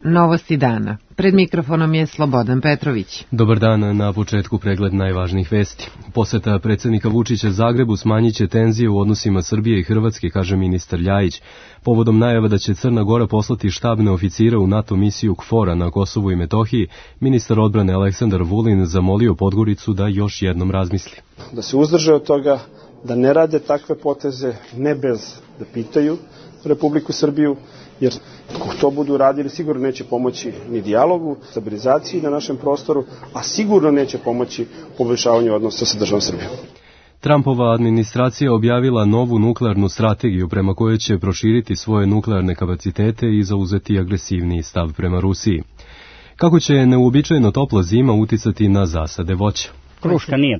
Novosti dana. Pred mikrofonom je Slobodan Petrović. Dobar dan, na početku pregled najvažnijih vesti. Poseta predsjednika Vučića Zagrebu smanjit će tenzije u odnosima Srbije i Hrvatske, kaže ministar Ljajić. Povodom najava da će Crna Gora poslati štabne oficire u NATO misiju KFOR-a na Kosovu i Metohiji, ministar odbrane Aleksandar Vulin zamolio Podgoricu da još jednom razmisli. Da se uzdrže od toga, da ne rade takve poteze, ne bez da pitaju Republiku Srbiju, jer ako to budu radili, sigurno neće pomoći ni dijalogu, stabilizaciji na našem prostoru, a sigurno neće pomoći poboljšavanju odnosa sa državom Srbijom. Trumpova administracija objavila novu nuklearnu strategiju prema kojoj će proširiti svoje nuklearne kapacitete i zauzeti agresivniji stav prema Rusiji. Kako će neuobičajeno topla zima uticati na zasade voća? Kruška nije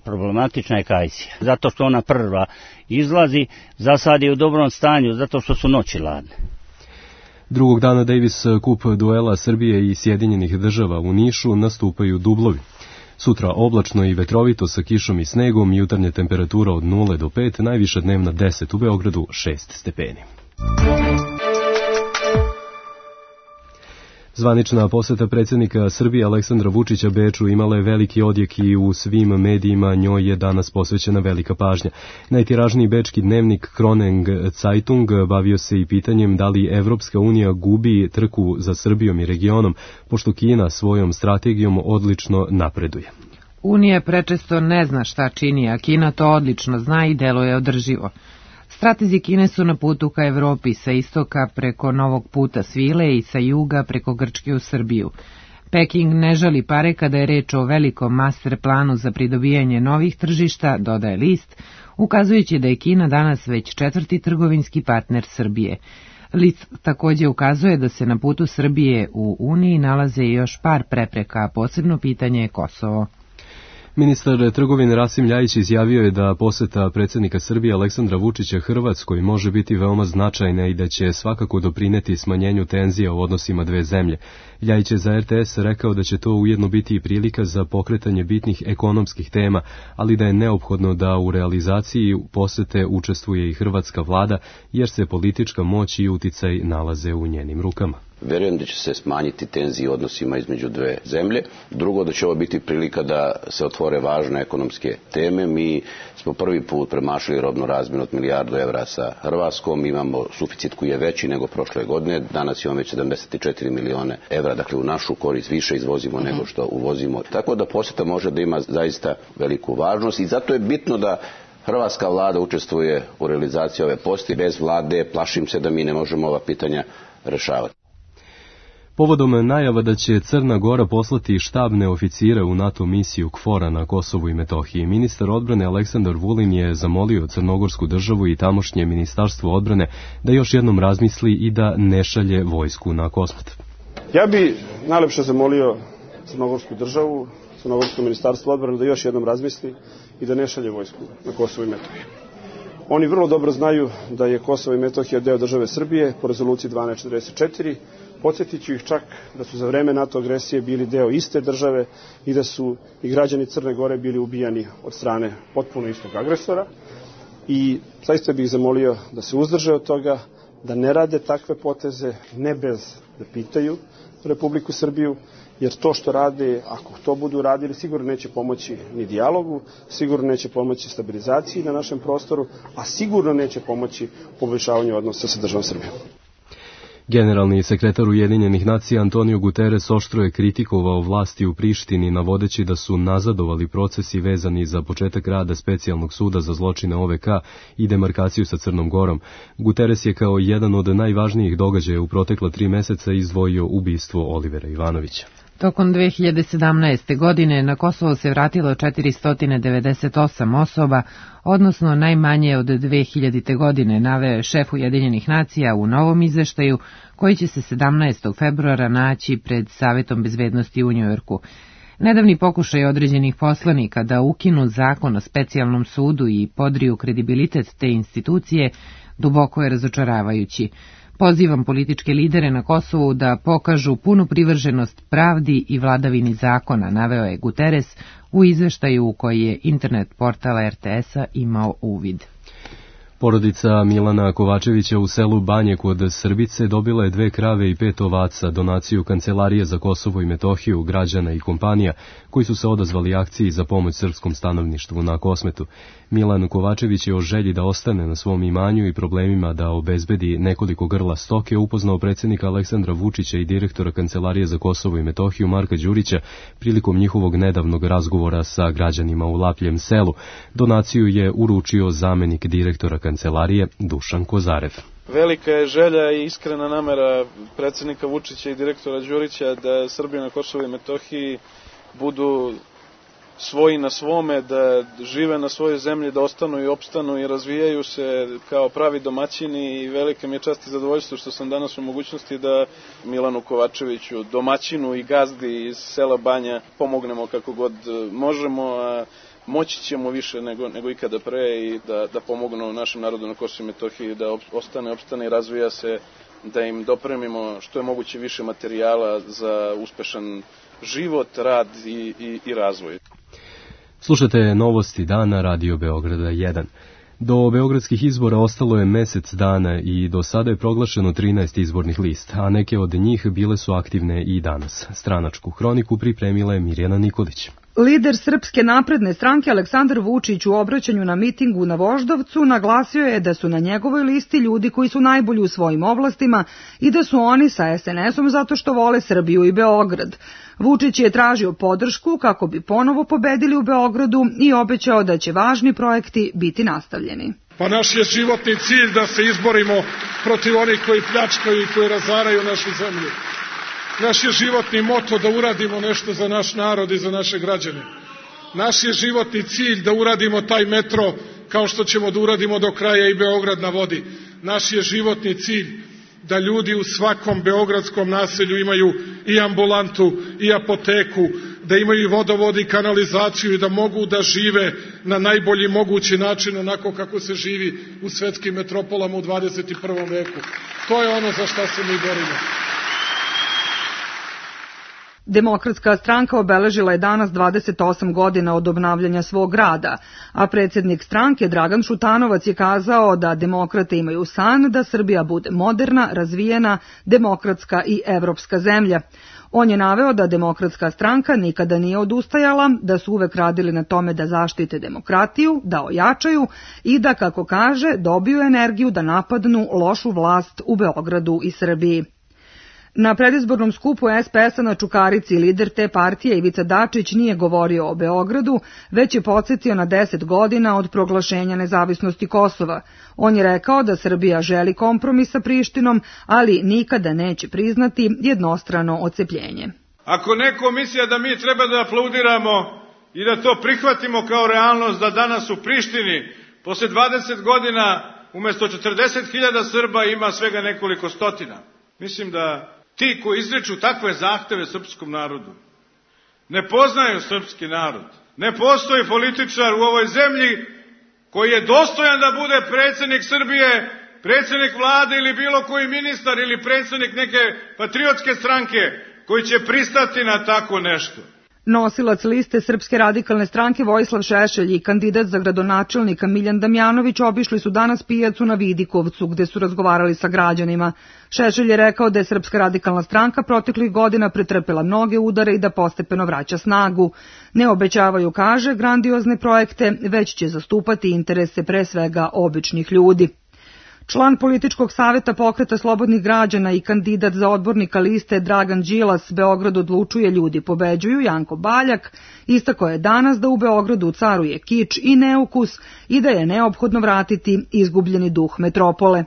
problematična je kajsija. Zato što ona prva izlazi, zasad je u dobrom stanju, zato što su noći ladne. Drugog dana Davis Cup duela Srbije i Sjedinjenih Država u Nišu nastupaju dublovi. Sutra oblačno i vetrovito sa kišom i snegom, jutarnja temperatura od 0 do 5, najviša dnevna 10, u Beogradu 6 stepeni. Zvanična poseta predsjednika Srbije Aleksandra Vučića Beču imala je veliki odjek i u svim medijima njoj je danas posvećena velika pažnja. Najtiražniji bečki dnevnik Kroneng Zeitung bavio se i pitanjem da li Evropska unija gubi trku za Srbijom i regionom, pošto Kina svojom strategijom odlično napreduje. Unija prečesto ne zna šta čini, a Kina to odlično zna i deluje održivo. Stratezi Kine su na putu ka Evropi, sa istoka preko Novog puta svile i sa juga preko Grčke u Srbiju. Peking ne žali pare kada je reč o velikom master planu za pridobijanje novih tržišta, dodaje list, ukazujući da je Kina danas već 4. trgovinski partner Srbije. List također ukazuje da se na putu Srbije u Uniji nalaze još par prepreka, a posebno pitanje je Kosovo. Ministar trgovine Rasim Ljajić izjavio je da poseta predsjednika Srbije Aleksandra Vučića Hrvatskoj može biti veoma značajna i da će svakako doprineti smanjenju tenzija u odnosima dve zemlje. Ljajić je za RTS rekao da će to ujedno biti i prilika za pokretanje bitnih ekonomskih tema, ali da je neophodno da u realizaciji posete učestvuje i hrvatska vlada, jer se politička moć i uticaj nalaze u njenim rukama. Verujem da će se smanjiti tenzije u odnosima između dve zemlje. Drugo, da će ovo biti prilika da se otvore važne ekonomske teme. Mi smo prvi put premašili robnu razmjenu od milijardu evra sa Hrvatskom. Imamo suficit koji je veći nego prošle godine. Danas imamo već 74 milione evra. Dakle, u našu korist više izvozimo nego što uvozimo. Tako da posjeta može da ima zaista veliku važnost i zato je bitno da hrvatska vlada učestvuje u realizaciji ove posjete. Bez vlade plašim se da mi ne možemo ova pitanja rešavati. Povodom najava da će Crna Gora poslati štabne oficire u NATO misiju KFOR-a na Kosovu i Metohiji, ministar odbrane Aleksandar Vulin je zamolio Crnogorsku državu i tamošnje ministarstvo odbrane da još jednom razmisli i da ne šalje vojsku na Kosmet. Ja bi najlepše zamolio Crnogorsku državu, Crnogorsko ministarstvo odbrane da još jednom razmisli i da ne šalje vojsku na Kosovo i Metohiju. Oni vrlo dobro znaju da je Kosovo i Metohija deo države Srbije po rezoluciji 1244. Podsjetit ću ih čak da su za vreme NATO agresije bili deo iste države i da su i građani Crne Gore bili ubijani od strane potpuno istog agresora. I zaista bih zamolio da se uzdrže od toga, da ne rade takve poteze, ne bez da pitaju Republiku Srbiju, jer to što rade, ako to budu radili, sigurno neće pomoći ni dijalogu, sigurno neće pomoći stabilizaciji na našem prostoru, a sigurno neće pomoći poboljšavanju odnosa sa državom Srbijom. Generalni sekretar Ujedinjenih nacija Antonio Guterres oštro je kritikovao vlasti u Prištini, navodeći da su nazadovali procesi vezani za početak rada specijalnog suda za zločine OVK i demarkaciju sa Crnom Gorom. Guterres je kao jedan od najvažnijih događaja u protekla 3 meseca izdvojio ubistvo Olivera Ivanovića. Tokom 2017. godine na Kosovo se vratilo 498 osoba, odnosno najmanje od 2000. godine, naveo je šef Ujedinjenih nacija u novom izveštaju koji će se 17. februara naći pred Savetom bezbednosti u Njujorku. Nedavni pokušaj određenih poslanika da ukinu zakon o specijalnom sudu i podriju kredibilitet te institucije duboko je razočaravajući. Pozivam političke lidere na Kosovu da pokažu punu privrženost pravdi i vladavini zakona, naveo je Guterres u izveštaju u koji je internet portala RTS-a imao uvid. Porodica Milana Kovačevića u selu Banje kod Srbice dobila je 2 krave i 5 ovaca, donaciju Kancelarije za Kosovo i Metohiju, građana i kompanija koji su se odazvali akciji za pomoć srpskom stanovništvu na Kosmetu. Milan Kovačević je o želji da ostane na svom imanju i problemima da obezbedi nekoliko grla stoke upoznao predsjednika Aleksandra Vučića i direktora Kancelarije za Kosovo i Metohiju Marka Đurića prilikom njihovog nedavnog razgovora sa građanima u Lapljem selu. Donaciju je uručio zamenik direktora Kancelarije Dušan Kozarev. Velika je želja i iskrena namera predsjednika Vučića i direktora Đurića da Srbija na Kosovu i Metohiji budu svoji na svome, da žive na svojoj zemlji, da ostanu i opstanu i razvijaju se kao pravi domaćini, i velika mi je čast i zadovoljstvo što sam danas u mogućnosti da Milanu Kovačeviću, domaćinu i gazdi iz sela Banja, pomognemo kako god možemo, a moći ćemo više nego ikada pre i da pomognu našem narodu na Kosovu i Metohiji da opstane i razvija se, da im dopremimo što je moguće više materijala za uspešan život, rad i razvoj. Slušate novosti dana Radio Beograda 1. Do beogradskih izbora ostalo je mesec dana i do sada je proglašeno 13 izbornih lista, a neke od njih bile su aktivne i danas. Stranačku hroniku pripremila je Mirjana Nikolić. Lider Srpske napredne stranke Aleksandar Vučić u obraćanju na mitingu na Voždovcu naglasio je da su na njegovoj listi ljudi koji su najbolji u svojim oblastima i da su oni sa SNS-om zato što vole Srbiju i Beograd. Vučić je tražio podršku kako bi ponovo pobedili u Beogradu i obećao da će važni projekti biti nastavljeni. Pa naš je životni cilj da se izborimo protiv onih koji pljačkaju i koji razaraju našu zemlju. Naš je životni moto da uradimo nešto za naš narod i za naše građane. Naš je životni cilj da uradimo taj metro kao što ćemo da uradimo do kraja i Beograd na vodi. Naš je životni cilj da ljudi u svakom beogradskom naselju imaju i ambulantu i apoteku, da imaju i vodovod i kanalizaciju i da mogu da žive na najbolji mogući način onako kako se živi u svetskim metropolama u 21. veku. To je ono za šta se mi borimo. Demokratska stranka obeležila je danas 28 godina od obnavljanja svog rada, a predsjednik stranke Dragan Šutanovac je kazao da demokrate imaju san da Srbija bude moderna, razvijena, demokratska i evropska zemlja. On je naveo da Demokratska stranka nikada nije odustajala, da su uvek radili na tome da zaštite demokratiju, da ojačaju i da, kako kaže, dobiju energiju da napadnu lošu vlast u Beogradu i Srbiji. Na predizbornom skupu SPS-a na Čukarici lider te partije Ivica Dačić nije govorio o Beogradu, već je podsjetio na 10 godina od proglašenja nezavisnosti Kosova. On je rekao da Srbija želi kompromis sa Prištinom, ali nikada neće priznati jednostrano odcepljenje. Ako neko misli da mi treba da aplaudiramo i da to prihvatimo kao realnost da danas u Prištini posle 20 godina umesto 40.000 Srba ima svega nekoliko stotina. Mislim da ti koji izriču takve zahteve srpskom narodu ne poznaju srpski narod. Ne postoji političar u ovoj zemlji koji je dostojan da bude predsjednik Srbije, predsjednik vlade ili bilo koji ministar ili predsjednik neke patriotske stranke koji će pristati na tako nešto. Nosilac liste Srpske radikalne stranke Vojislav Šešelj i kandidat za gradonačelnika Miljan Damjanović obišli su danas pijacu na Vidikovcu gde su razgovarali sa građanima. Šešelj je rekao da je Srpska radikalna stranka proteklih godina pretrpela mnoge udare i da postepeno vraća snagu. Ne obećavaju, kaže, grandiozne projekte, već će zastupati interese pre svega običnih ljudi. Član političkog saveta Pokreta slobodnih građana i kandidat za odbornika liste Dragan Đilas Beograd odlučuje, ljudi pobeđuju Janko Baljak istakao je danas da u Beogradu caruje kič i neukus i da je neophodno vratiti izgubljeni duh metropole.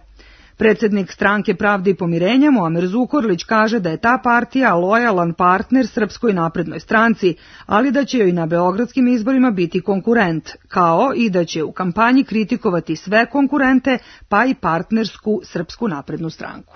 Predsjednik stranke Pravde i pomirenja Muamer Zukorlić kaže da je ta partija lojalan partner Srpskoj naprednoj stranci, ali da će joj na beogradskim izborima biti konkurent, kao i da će u kampanji kritikovati sve konkurente, pa i partnersku Srpsku naprednu stranku.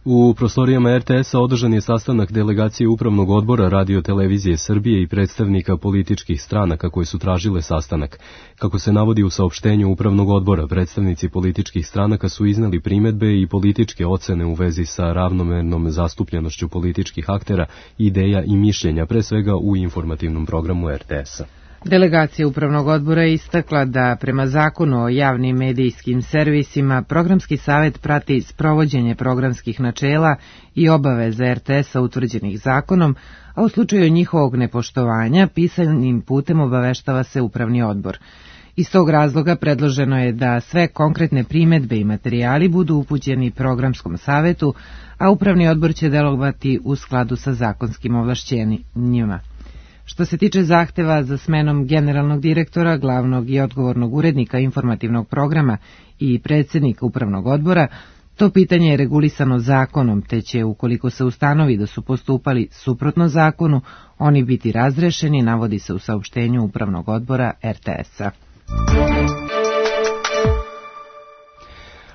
U prostorijama RTS-a održan je sastanak delegacije Upravnog odbora Radio-televizije Srbije i predstavnika političkih stranaka koji su tražile sastanak. Kako se navodi u saopštenju Upravnog odbora, predstavnici političkih stranaka su izneli primedbe i političke ocene u vezi sa ravnomernom zastupljenošću političkih aktera, ideja i mišljenja, pre svega u informativnom programu RTS-a. Delegacija Upravnog odbora je istakla da prema zakonu o javnim medijskim servisima Programski savet prati sprovođenje programskih načela i obaveza RTS-a utvrđenih zakonom, a u slučaju njihovog nepoštovanja pisanim putem obaveštava se Upravni odbor. Iz tog razloga predloženo je da sve konkretne primedbe i materijali budu upućeni Programskom savetu, a Upravni odbor će delovati u skladu sa zakonskim ovlašćenjima. Što se tiče zahteva za smenom generalnog direktora, glavnog i odgovornog urednika informativnog programa i predsjednika Upravnog odbora, to pitanje je regulisano zakonom, te će, ukoliko se ustanovi da su postupali suprotno zakonu, oni biti razrešeni, navodi se u saopštenju Upravnog odbora RTS-a.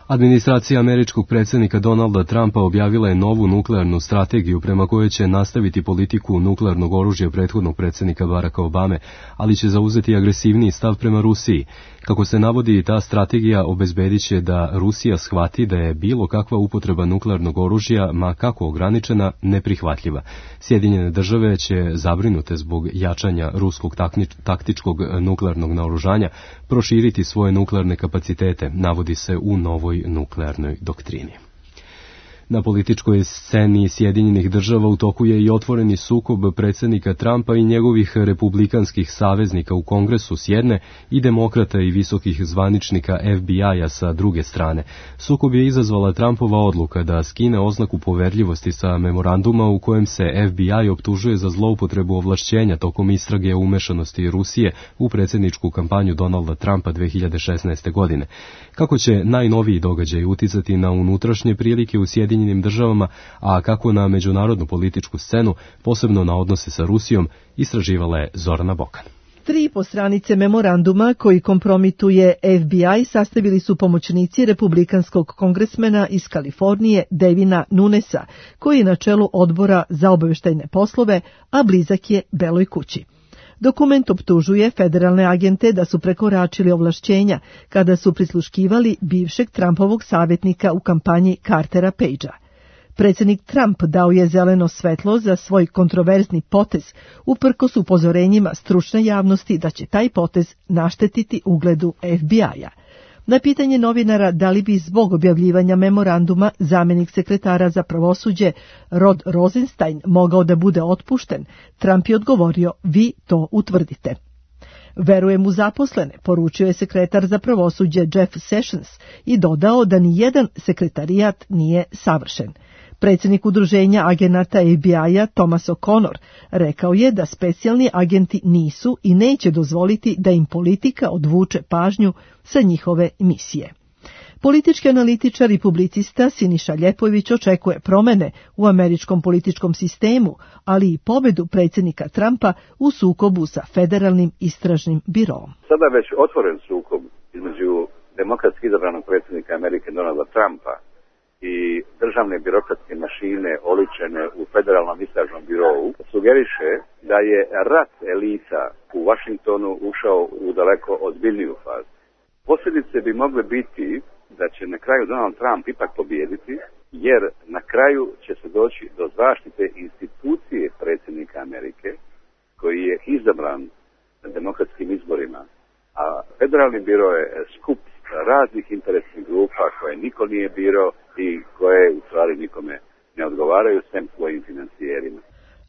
Administracija američkog predsjednika Donalda Trumpa objavila je novu nuklearnu strategiju prema kojoj će nastaviti politiku nuklearnog oružja prethodnog predsjednika Baracka Obame, ali će zauzeti agresivniji stav prema Rusiji. Kako se navodi, ta strategija obezbedit će da Rusija shvati da je bilo kakva upotreba nuklearnog oružja, ma kako ograničena, neprihvatljiva. Sjedinjene države će, zabrinute zbog jačanja ruskog taktičkog nuklearnog naoružanja, proširiti svoje nuklearne kapacitete, navodi se u novoj nuklearnoj doktrini. Na političkoj sceni Sjedinjenih država u toku je i otvoreni sukob predsjednika Trumpa i njegovih republikanskih saveznika u Kongresu s jedne i demokrata i visokih zvaničnika FBI-a sa druge strane. Sukob je izazvala Trumpova odluka da skine oznaku poverljivosti sa memoranduma u kojem se FBI optužuje za zloupotrebu ovlašćenja tokom istrage o umešanosti Rusije u predsjedničku kampanju Donalda Trumpa 2016. godine. Kako će najnoviji događaj uticati na unutrašnje prilike u Sjedinjenim državama, a kako na međunarodnu političku scenu, posebno na odnose sa Rusijom, istraživala je Zorana Bokan. 3,5 stranice memoranduma koji kompromituje FBI sastavili su pomoćnici republikanskog kongresmena iz Kalifornije Devina Nunesa, koji je na čelu odbora za obavještajne poslove, a blizak je Beloj kući. Dokument optužuje federalne agente da su prekoračili ovlašćenja kada su prisluškivali bivšeg Trumpovog savjetnika u kampanji Cartera Pagea. Predsjednik Trump dao je zeleno svetlo za svoj kontroverzni potez, uprkos upozorenjima stručne javnosti da će taj potez naštetiti ugledu FBI-a. Na pitanje novinara da li bi zbog objavljivanja memoranduma zamjenik sekretara za pravosuđe Rod Rosenstein mogao da bude otpušten, Trump je odgovorio: vi to utvrdite. Verujem u zaposlene, poručio je sekretar za pravosuđe Jeff Sessions i dodao da ni jedan sekretarijat nije savršen. Predsjednik udruženja agenata FBI-a Thomas O'Connor rekao je da specijalni agenti nisu i neće dozvoliti da im politika odvuče pažnju sa njihove misije. Politički analitičar i publicista Siniša Ljepojević očekuje promene u američkom političkom sistemu, ali i pobedu predsjednika Trumpa u sukobu sa federalnim istražnim biroom. Sada već otvoren sukob između demokratski izabranog predsjednika Amerike Donalda Trumpa i državne birokratske mašine oličene u federalnom istražnom birovu sugeriše da je rat elita u Washingtonu ušao u daleko ozbiljniju fazu. Posljedice bi mogle biti da će na kraju Donald Trump ipak pobijediti, jer na kraju će se doći do zaštite institucije predsjednika Amerike, koji je izabran na demokratskim izborima, a federalni biro je skup raznih interesnih grupa koje niko nije birao i koje u stvari nikome ne odgovaraju, sem svojim financijerima.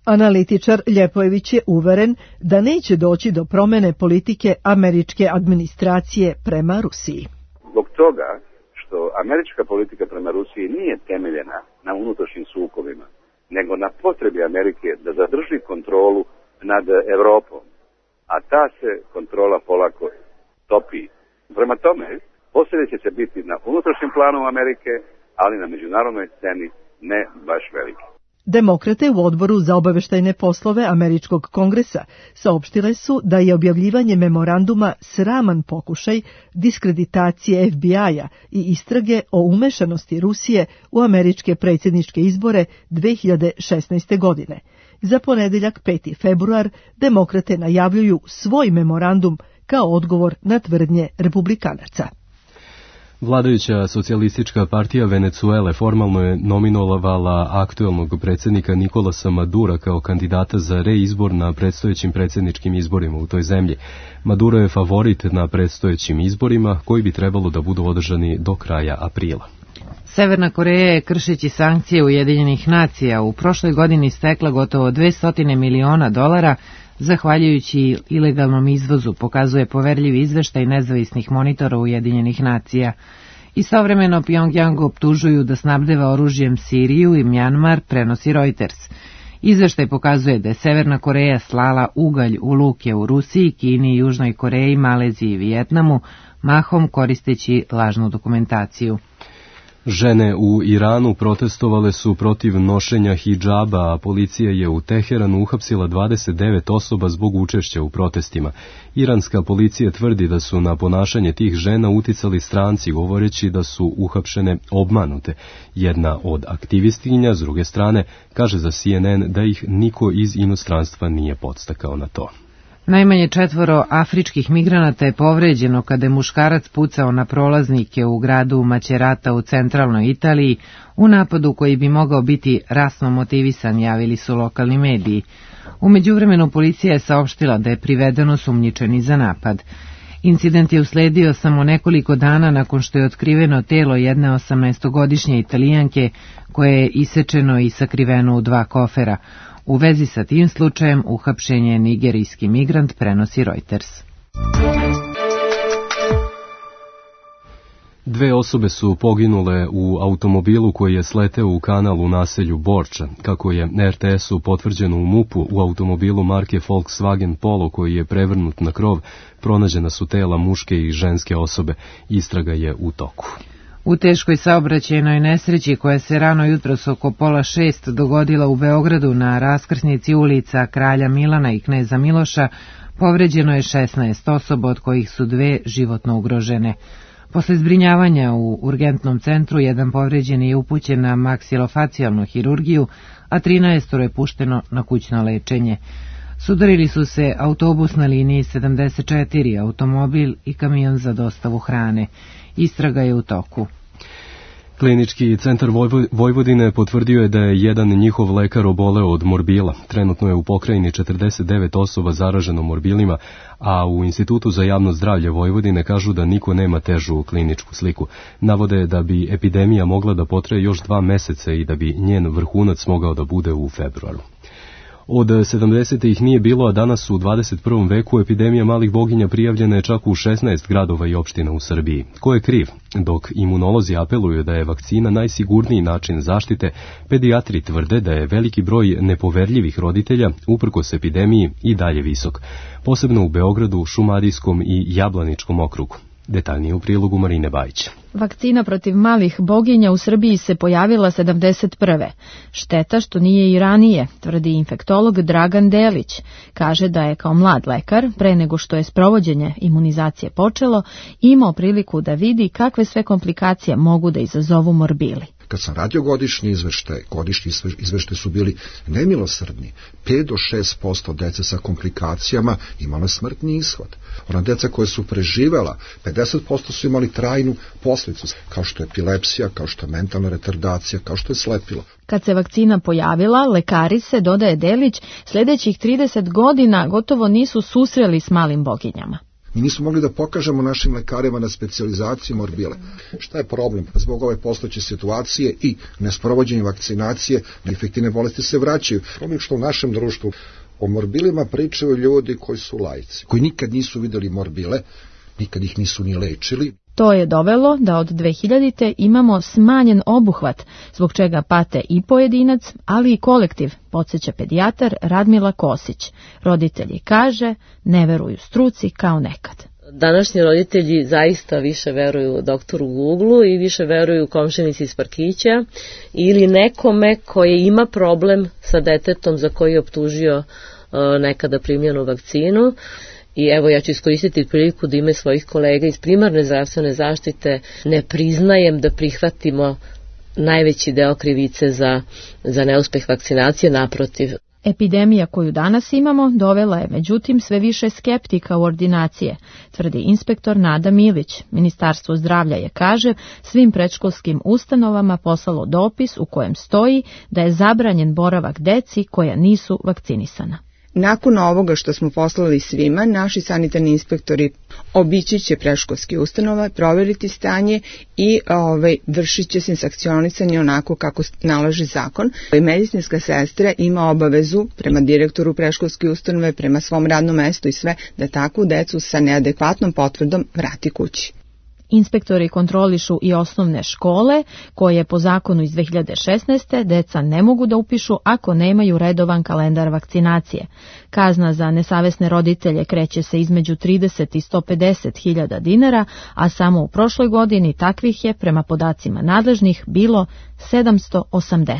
Analitičar Ljepojević je uveren da neće doći do promjene politike američke administracije prema Rusiji. Zbog toga što američka politika prema Rusiji nije temeljena na unutrašnjim sukobima, nego na potrebi Amerike da zadrži kontrolu nad Evropom, a ta se kontrola polako topi. Prema tome, posljedice će biti na unutrašnjem planu Amerike, ali na međunarodnoj sceni ne baš velike. Demokrate u odboru za obavještajne poslove američkog kongresa saopštile su da je objavljivanje memoranduma sraman pokušaj diskreditacije FBI-a i istrage o umešanosti Rusije u američke predsjedničke izbore 2016. godine. Za ponedjeljak 5. februar demokrate najavljuju svoj memorandum kao odgovor na tvrdnje republikanaca. Vladajuća socijalistička partija Venecuele formalno je nominovala aktuelnog predsjednika Nikolasa Madura kao kandidata za reizbor na predstojećim predsjedničkim izborima u toj zemlji. Maduro je favorit na predstojećim izborima koji bi trebalo da budu održani do kraja aprila. Severna Koreja je, kršeći sankcije Ujedinjenih nacija, u prošloj godini stekla gotovo $200 miliona zahvaljujući ilegalnom izvozu, pokazuje poverljiv izveštaj nezavisnih monitora Ujedinjenih nacija. Istovremeno Pjongjang optužuju da snabdeva oružjem Siriju i Mjanmar, prenosi Reuters. Izveštaj pokazuje da je Severna Koreja slala ugalj u luke u Rusiji, Kini, Južnoj Koreji, Maleziji i Vijetnamu, mahom koristeći lažnu dokumentaciju. Žene u Iranu protestovale su protiv nošenja hidžaba, a policija je u Teheranu uhapsila 29 osoba zbog učešća u protestima. Iranska policija tvrdi da su na ponašanje tih žena uticali stranci, govoreći da su uhapšene obmanute. Jedna od aktivistinja, s druge strane, kaže za CNN da ih niko iz inostranstva nije podstakao na to. Najmanje 4 afričkih migranata je povređeno kada je muškarac pucao na prolaznike u gradu Macerata u centralnoj Italiji u napadu koji bi mogao biti rasno motivisan, javili su lokalni mediji. U međuvremenu policija je saopštila da je priveden osumnjičeni za napad. Incident je usledio samo nekoliko dana nakon što je otkriveno telo jedne 18-godišnje Italijanke koje je isečeno i sakriveno u 2 kofera. U vezi sa tim slučajem uhapšen je nigerijski migrant, prenosi Reuters. 2 osobe su poginule u automobilu koji je sleteo u kanal u naselju Borča. Kako je RTS-u potvrđeno u MUP-u, u automobilu marke Volkswagen Polo koji je prevrnut na krov, pronađena su tela muške i ženske osobe. Istraga je u toku. U teškoj saobraćajnoj nesreći koja se rano jutros oko 5:30 dogodila u Beogradu na raskrsnici ulica Kralja Milana i Kneza Miloša, povređeno je 16 osoba, od kojih su 2 životno ugrožene. Posle zbrinjavanja u urgentnom centru, jedan povređeni je upućen na maksilofacijalnu hirurgiju, a 13 je pušteno na kućno lečenje. Sudarili su se autobus na liniji 74, automobil i kamion za dostavu hrane. Istraga je u toku. Klinički centar Vojvodine potvrdio je da je jedan njihov lekar oboleo od morbila. Trenutno je u pokrajini 49 osoba zaraženo morbilima, a u Institutu za javno zdravlje Vojvodine kažu da niko nema težu kliničku sliku. Navode da bi epidemija mogla da potraje još 2 meseca i da bi njen vrhunac mogao da bude u februaru. Od 70-ih nije bilo, a danas u 21. veku epidemija malih boginja prijavljena je čak u 16 gradova i opština u Srbiji. Ko je kriv? Dok imunolozi apeluju da je vakcina najsigurniji način zaštite, pedijatri tvrde da je veliki broj nepoverljivih roditelja, uprkos epidemiji, i dalje visok. Posebno u Beogradu, Šumadijskom i Jablaničkom okrugu. Detaljnije u prilogu Marine Bajić. Vakcina protiv malih boginja u Srbiji se pojavila 71. Šteta što nije i ranije, tvrdi infektolog Dragan Delić. Kaže da je kao mlad lekar, pre nego što je sprovođenje imunizacije počelo, imao priliku da vidi kakve sve komplikacije mogu da izazovu morbili. Kad sam radio godišnji izveštaj su bili nemilosrdni. 5 do 6% dece sa komplikacijama imalo smrtni ishod. Ona deca koje su preživela, 50% su imali trajnu posljedicu, kao što je epilepsija, kao što je mentalna retardacija, kao što je slepilo. Kad se vakcina pojavila, lekari se, dodaje Delić, sljedećih 30 godina gotovo nisu susreli s malim boginjama. Mi nismo mogli da pokažemo našim lekarima na specijalizaciji morbile. Šta je problem? Zbog ove postojeće situacije i nesprovođenja vakcinacije, infektivne bolesti se vraćaju. Problem što u našem društvu o morbilima pričaju ljudi koji su laici, koji nikad nisu videli morbile, nikad ih nisu ni lečili. To je dovelo da od 2000. imamo smanjen obuhvat, zbog čega pate i pojedinac, ali i kolektiv, podsjeća pedijatar Radmila Kosić. Roditelji, kaže, ne veruju struci kao nekad. Današnji roditelji zaista više veruju doktoru Google-u i više veruju komšinici iz parkića ili nekome koji ima problem sa detetom za koji je optužio nekada primljenu vakcinu. I evo, ja ću iskoristiti priliku da ime svojih kolega iz primarne zdravstvene zaštite ne priznajem da prihvatimo najveći deo krivice za neuspeh vakcinacije, naprotiv. Epidemija koju danas imamo dovela je međutim sve više skeptika u ordinacije, tvrdi inspektor Nada Milić. Ministarstvo zdravlja je, kaže, svim predškolskim ustanovama poslalo dopis u kojem stoji da je zabranjen boravak deci koja nisu vakcinisana. Nakon ovoga što smo poslali svima, naši sanitarni inspektori obići će predškolske ustanove, provjeriti stanje i vršit će se sankcionisanje onako kako nalaže zakon. Medicinska sestra ima obavezu prema direktoru predškolske ustanove, prema svom radnom mestu i sve, da takvu decu sa neadekvatnom potvrdom vrati kući. Inspektori kontrolišu i osnovne škole, koje po zakonu iz 2016. deca ne mogu da upišu ako nemaju redovan kalendar vakcinacije. Kazna za nesavesne roditelje kreće se između 30 i 150 hiljada dinara, a samo u prošloj godini takvih je, prema podacima nadležnih, bilo 780.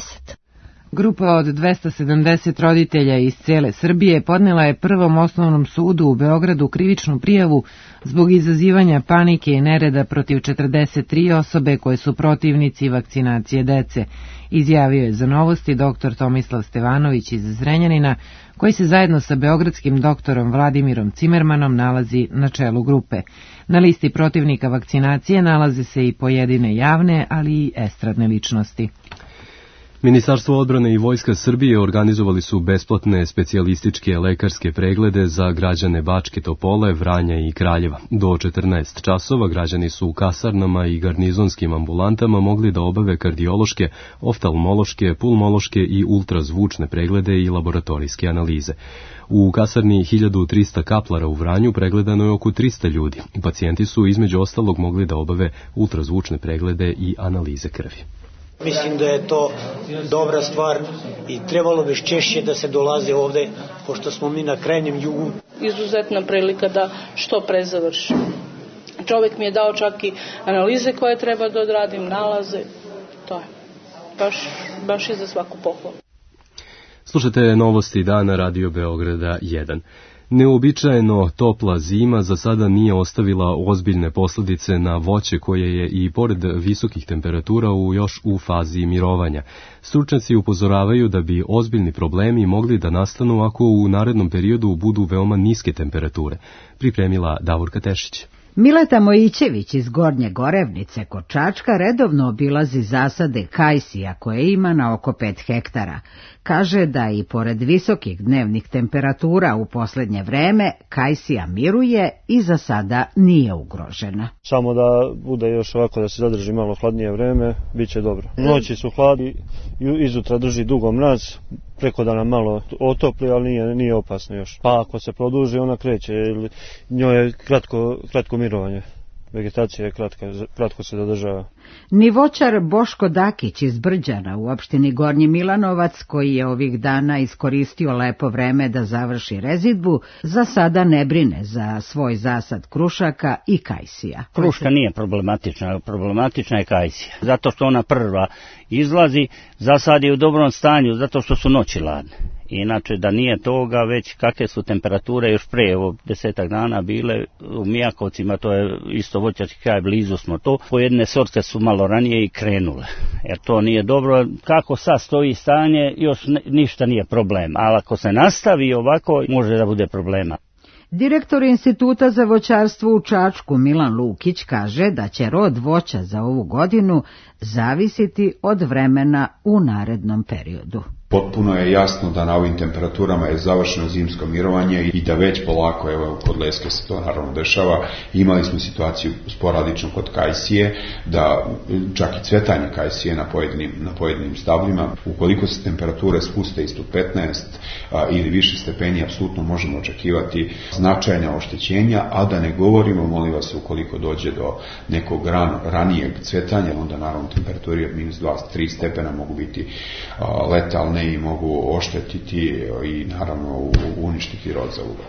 Grupa od 270 roditelja iz cele Srbije podnela je Prvom osnovnom sudu u Beogradu krivičnu prijavu zbog izazivanja panike i nereda protiv 43 osobe koje su protivnici vakcinacije dece, izjavio je za Novosti dr. Tomislav Stevanović iz Zrenjanina, koji se zajedno sa beogradskim doktorom Vladimirom Cimermanom nalazi na čelu grupe. Na listi protivnika vakcinacije nalaze se i pojedine javne, ali i estradne ličnosti. Ministarstvo odbrane i Vojska Srbije organizovali su besplatne specijalističke lekarske preglede za građane Bačke Topole, Vranja i Kraljeva. Do 14 časova građani su u kasarnama i garnizonskim ambulantama mogli da obave kardiološke, oftalmološke, pulmološke i ultrazvučne preglede i laboratorijske analize. U kasarni 1300 kaplara u Vranju pregledano je oko 300 ljudi. Pacijenti su između ostalog mogli da obave ultrazvučne preglede i analize krvi. Mislim da je to dobra stvar i trebalo bi češće da se dolaze ovde, pošto smo mi na krajnjem jugu. Izuzetna prilika da što pre završim. Čovjek mi je dao čak i analize koje treba da odradim, nalaze. To je baš i za svaku pohvalu. Slušajte Novosti dana Radio Beograda 1. Neuobičajeno topla zima za sada nije ostavila ozbiljne posljedice na voće koje je i pored visokih temperatura još u fazi mirovanja. Stručnjaci upozoravaju da bi ozbiljni problemi mogli da nastanu ako u narednom periodu budu veoma niske temperature. Pripremila Davorka Tešić. Mileta Mojićević iz Gornje Gorevnice kod Čačka redovno obilazi zasade kajsija koje ima na oko 5 hektara. Kaže da i pored visokih dnevnih temperatura u posljednje vreme kajsija miruje i za sada nije ugrožena. Samo da bude još ovako da se zadrži malo hladnije vreme, bit će dobro. Noći su hladni, izutra drži dugo mraz, preko dana malo otopli, ali nije opasno još. Pa ako se produži ona kreće, njoj je kratko mirovanje. Vegetacija je kratko se zadržava. Ni voćar Boško Dakić iz Brđana u opštini Gornji Milanovac, koji je ovih dana iskoristio lepo vreme da završi rezidbu, za sada ne brine za svoj zasad krušaka i kajsija. Kruška nije problematična je kajsija. Zato što ona prva izlazi, zasad je u dobrom stanju, zato što su noći ladne. Inače, da nije toga, već kakve su temperature još pre, 10 dana bile u Mijakovcima, to je isto voćarski kraj, blizu smo to, pojedine sorte su malo ranije i krenule, jer to nije dobro. Kako sad stoji stanje, još ništa nije problem, ali ako se nastavi ovako, može da bude problema. Direktor Instituta za voćarstvo u Čačku Milan Lukić kaže da će rod voća za ovu godinu zavisiti od vremena u narednom periodu. Potpuno je jasno da na ovim temperaturama je završeno zimsko mirovanje i da već polako, evo kod leske se to naravno dešava, imali smo situaciju sporadično kod kajsije, da čak i cvetanje kajsije na pojedinim stablima, ukoliko se temperature spuste ispod 15 ili više stepeni, apsolutno možemo očekivati značajna oštećenja, a da ne govorimo, molim vas, ukoliko dođe do nekog ranijeg cvetanja, onda naravno temperature od -2-3 stepena mogu biti letalne i mogu oštetiti i naravno uništiti rod za ugod.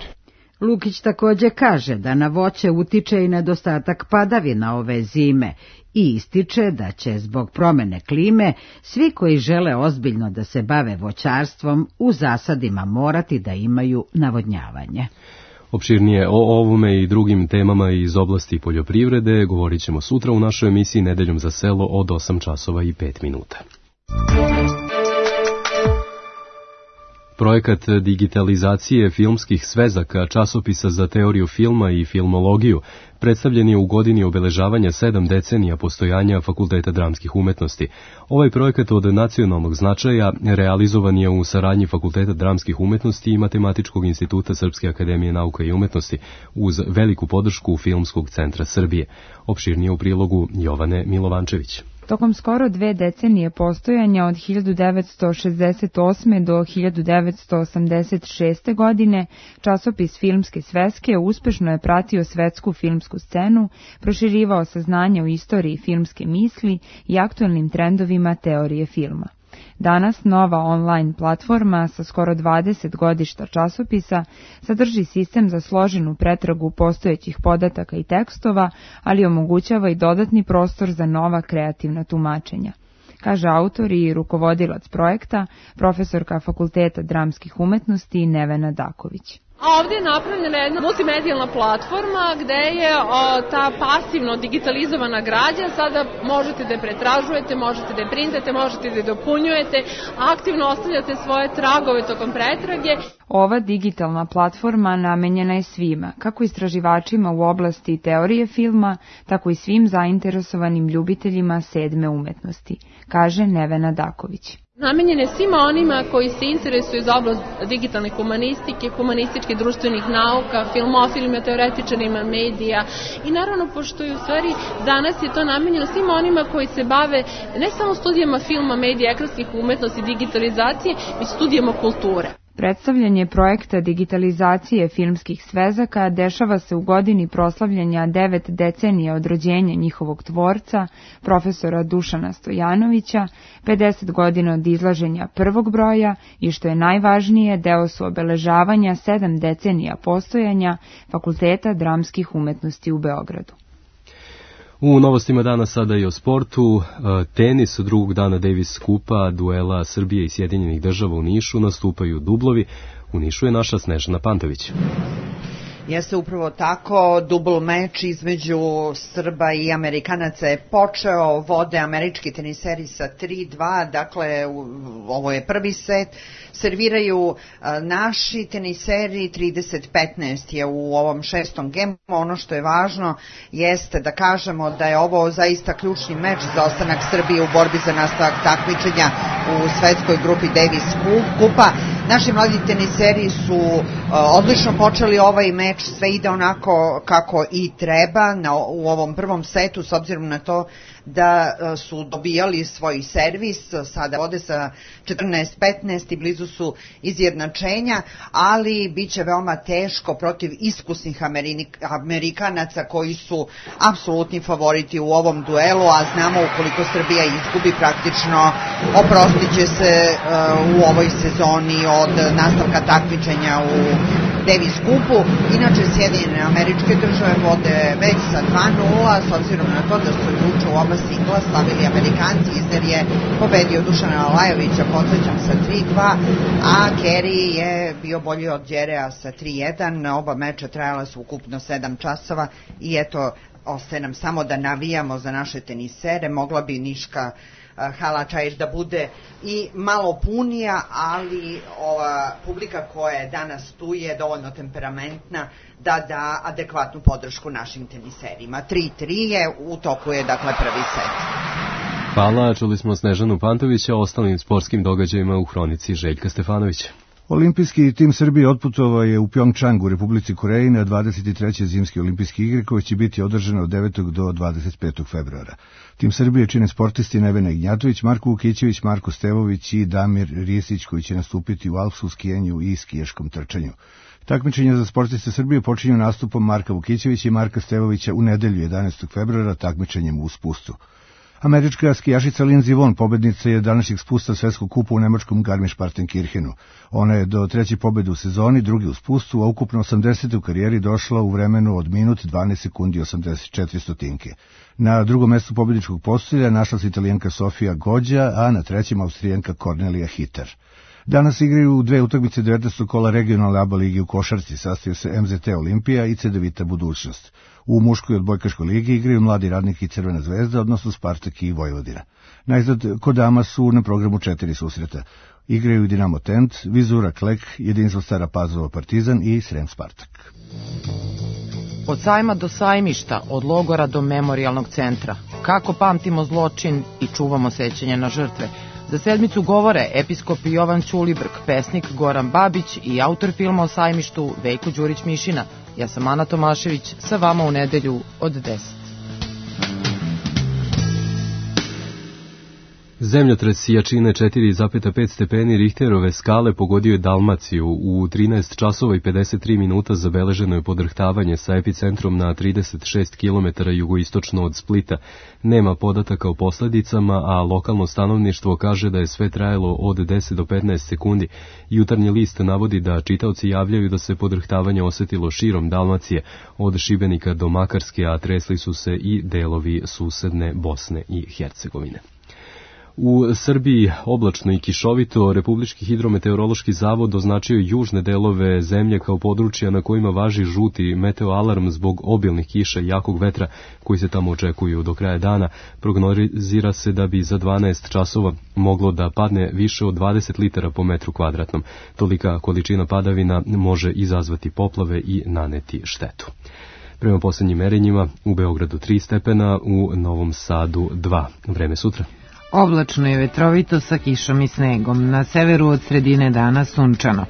Lukić također kaže da na voće utiče i nedostatak padavina ove zime i ističe da će zbog promene klime svi koji žele ozbiljno da se bave voćarstvom u zasadima morati da imaju navodnjavanje. Opširnije o ovome i drugim temama iz oblasti poljoprivrede govorit ćemo sutra u našoj emisiji Nedeljom za selo od 8 časova i 5 minuta. Projekat digitalizacije filmskih svezaka, časopisa za teoriju filma i filmologiju, predstavljen je u godini obeležavanja 7 decenija postojanja Fakulteta dramskih umetnosti. Ovaj projekat od nacionalnog značaja realizovan je u saradnji Fakulteta dramskih umetnosti i Matematičkog instituta Srpske akademije nauka i umetnosti uz veliku podršku Filmskog centra Srbije. Opširnije u prilogu Jovane Milovančević. Tokom skoro 2 decenije postojanja od 1968. do 1986. godine, časopis Filmske sveske uspešno je pratio svetsku filmsku scenu, proširivao saznanje o istoriji filmske misli i aktuelnim trendovima teorije filma. Danas nova online platforma sa skoro 20 godišta časopisa sadrži sistem za složenu pretragu postojećih podataka i tekstova, ali omogućava i dodatni prostor za nova kreativna tumačenja, kaže autor i rukovodilac projekta, profesorka Fakulteta dramskih umetnosti Nevena Daković. A ovdje je napravljena jedna multimedijalna platforma gde je ta pasivno digitalizovana građa, sada možete da je pretražujete, možete da je printate, možete da je dopunjujete, aktivno ostavljate svoje tragove tokom pretrage. Ova digitalna platforma namenjena je svima, kako istraživačima u oblasti teorije filma, tako i svim zainteresovanim ljubiteljima 7. umetnosti, kaže Nevena Daković. Namenjen je svima onima koji se interesuju za oblast digitalne humanistike, humanističke društvenih nauka, filmofilima, teoretičarima medija i naravno pošto je u stvari danas je to namenjeno svima onima koji se bave ne samo studijama filma, medija, ekranskih umetnosti, digitalizacije, već studijama kulture. Predstavljanje projekta digitalizacije filmskih svezaka dešava se u godini proslavljanja 9 decenija od rođenja njihovog tvorca, profesora Dušana Stojanovića, 50 godina od izlaženja prvog broja i što je najvažnije, deo su obeležavanja 7 decenija postojanja Fakulteta dramskih umetnosti u Beogradu. U novostima dana sada i o sportu. Tenis, drugog dana Davis Kupa, duela Srbije i Sjedinjenih država u Nišu, nastupaju dublovi. U Nišu je naša Snežana Pantović. Jeste upravo tako, dubl meč između Srba i Amerikanaca je počeo, vode američki teniseri sa 3-2, dakle ovo je prvi set, serviraju naši teniseri, 30-15 je u ovom 6. gemu. Ono što je važno jeste da kažemo da je ovo zaista ključni meč za ostanak Srbije u borbi za nastavak takmičenja u svetskoj grupi Davis Kupa. Naši mladi teniseri su odlično počeli ovaj meč, sve ide onako kako i treba u ovom prvom setu, s obzirom na to da su dobijali svoj servis, sada vode sa 14-15 i blizu su izjednačenja, ali bit će veoma teško protiv iskusnih Amerikanaca koji su apsolutni favoriti u ovom duelu, a znamo ukoliko Srbija izgubi praktično oprostit će se u ovoj sezoni od nastavka takmičenja u Davis Kupu. Inače, Sjedinjene Američke Države vode već sa 2-0, s obzirom na to da su juče u oba singla slavili Amerikanci. Isner je pobedio Dušana Lajovića, podsjećam, sa 3-2, a Kerry je bio bolji od Đerea sa 3-1. Oba meča trajala su ukupno 7 časova i eto, ostaje nam samo da navijamo za naše tenisere. Mogla bi Niška hala Čajić da bude i malo punija, ali ova publika koja je danas tu je dovoljno temperamentna da da adekvatnu podršku našim teniserima. 3-3 je, u toku je dakle prvi set. Hvala, čuli smo Snežanu Pantovića, o ostalim sportskim događajima u hronici Željka Stefanovića. Olimpijski tim Srbije otputovao je u Pjongčang u Republici Koreji na 23. zimske olimpijske igre koje će biti održane od 9. do 25. februara. Tim Srbije čine sportisti Nevena Ignjatović, Marko Vukićević, Marko Stevović i Damir Risić koji će nastupiti u alpskom skijenju i skijaškom trčanju. Takmičenja za sportiste Srbije počinju nastupom Marka Vukićevića i Marka Stevovića u nedelju 11. februara takmičenjem u spustu. Američka skijašica Lindsey Vonn pobednica je današnjeg spusta svetskog kupa u nemačkom Garmisch-Partenkirchenu. Ona je do 3. pobede u sezoni, drugi u spustu, a ukupno 80. u karijeri došla u vremenu od minut 12 sekundi 84 stotinke. Na drugom mestu pobedničkog postolja našla se Italijanka Sofia Goggia, a na trećem Austrijanka Cornelia Hitter. Danas igraju dve utakmice 19. kola regionalne ABA ligi u košarci, sastaju se MZT Olimpija i Cedevita Budućnost. U muškoj odbojkaškoj ligi igraju Mladi radnik i Crvena zvezda, odnosno Spartak i Vojvodina. Najzad kod dama su na programu 4 susreta. Igraju Dinamo Tent, Vizura Klek, Jedinstvo Stara Pazova Partizan i Srem Spartak. Od sajma do sajmišta, od logora do memorijalnog centra. Kako pamtimo zločin i čuvamo sećanje na žrtve. Za sedmicu govore episkop Jovan Ćulibrk, pesnik Goran Babić i autor filma o sajmištu Veljko Đurić-Mišina. Ja sam Ana Tomašević, sa vama u nedelju od 10. Zemljotres jačine 4,5 stepeni Richterove skale pogodio je Dalmaciju. U 13 časova i 53 minuta zabeleženo je podrhtavanje sa epicentrom na 36 km jugoistočno od Splita. Nema podataka o posledicama, a lokalno stanovništvo kaže da je sve trajalo od 10 do 15 sekundi. Jutarnji list navodi da čitaoci javljaju da se podrhtavanje osetilo širom Dalmacije, od Šibenika do Makarske, a tresli su se i delovi susedne Bosne i Hercegovine. U Srbiji oblačno i kišovito. Republički hidrometeorološki zavod označio južne delove zemlje kao područja na kojima važi žuti meteoalarm zbog obilnih kiša i jakog vetra koji se tamo očekuju do kraja dana. Prognozira se da bi za 12 časova moglo da padne više od 20 litara po metru kvadratnom. Tolika količina padavina može izazvati poplave i naneti štetu. Prema posljednjim merenjima u Beogradu 3 stepena, u Novom Sadu 2. Vreme sutra. Oblačno je vetrovito sa kišom i snegom, na severu od sredine dana sunčano.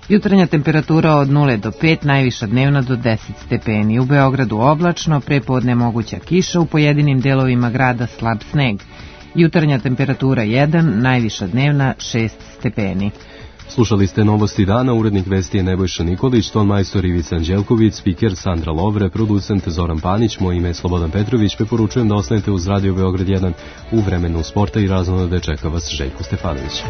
Jutarnja temperatura od 0 do 5, najviša dnevna do 10 stepeni. U Beogradu oblačno, prepodne moguća kiša, u pojedinim delovima grada slab sneg. Jutarnja temperatura 1, najviša dnevna 6 stepeni. Slušali ste novosti dana, urednik vesti je Nebojša Nikolić, ton majstor Ivica Anđelković, spiker Sandra Lovre, producent Zoran Panić, moje ime je Slobodan Petrović, preporučujem da ostanete uz Radio Beograd 1 u vremenu sporta i raznodade čeka vas Željko Stefanović.